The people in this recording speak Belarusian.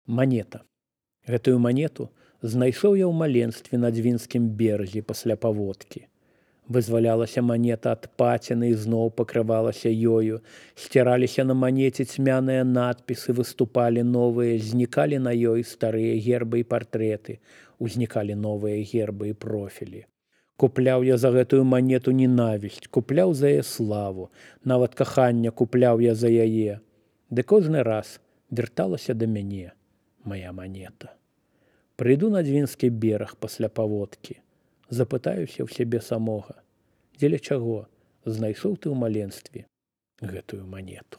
Манета. Гэтую манету знайшоў я ў маленстве на Дзвінскім беразе пасля паводкі. Вызвалялася манета ад паціны і зноў пакрывалася ёю. Сціраліся на манеце цьмяныя надпісы, выступалі новыя, знікалі на ёй старыя гербы і партрэты, узнікалі новыя гербы і профілі. Купляў я за гэтую манету ненавісць, купляў за яе славу, нават каханне купляў я за яе. Ды кожны раз вярталася да мяне мая манета. Прыйду на Дзвінскі бераг пасля паводкі, запытаюся ў сябе самога, дзеля чаго знайшоў ты ў маленстве гэтую манету.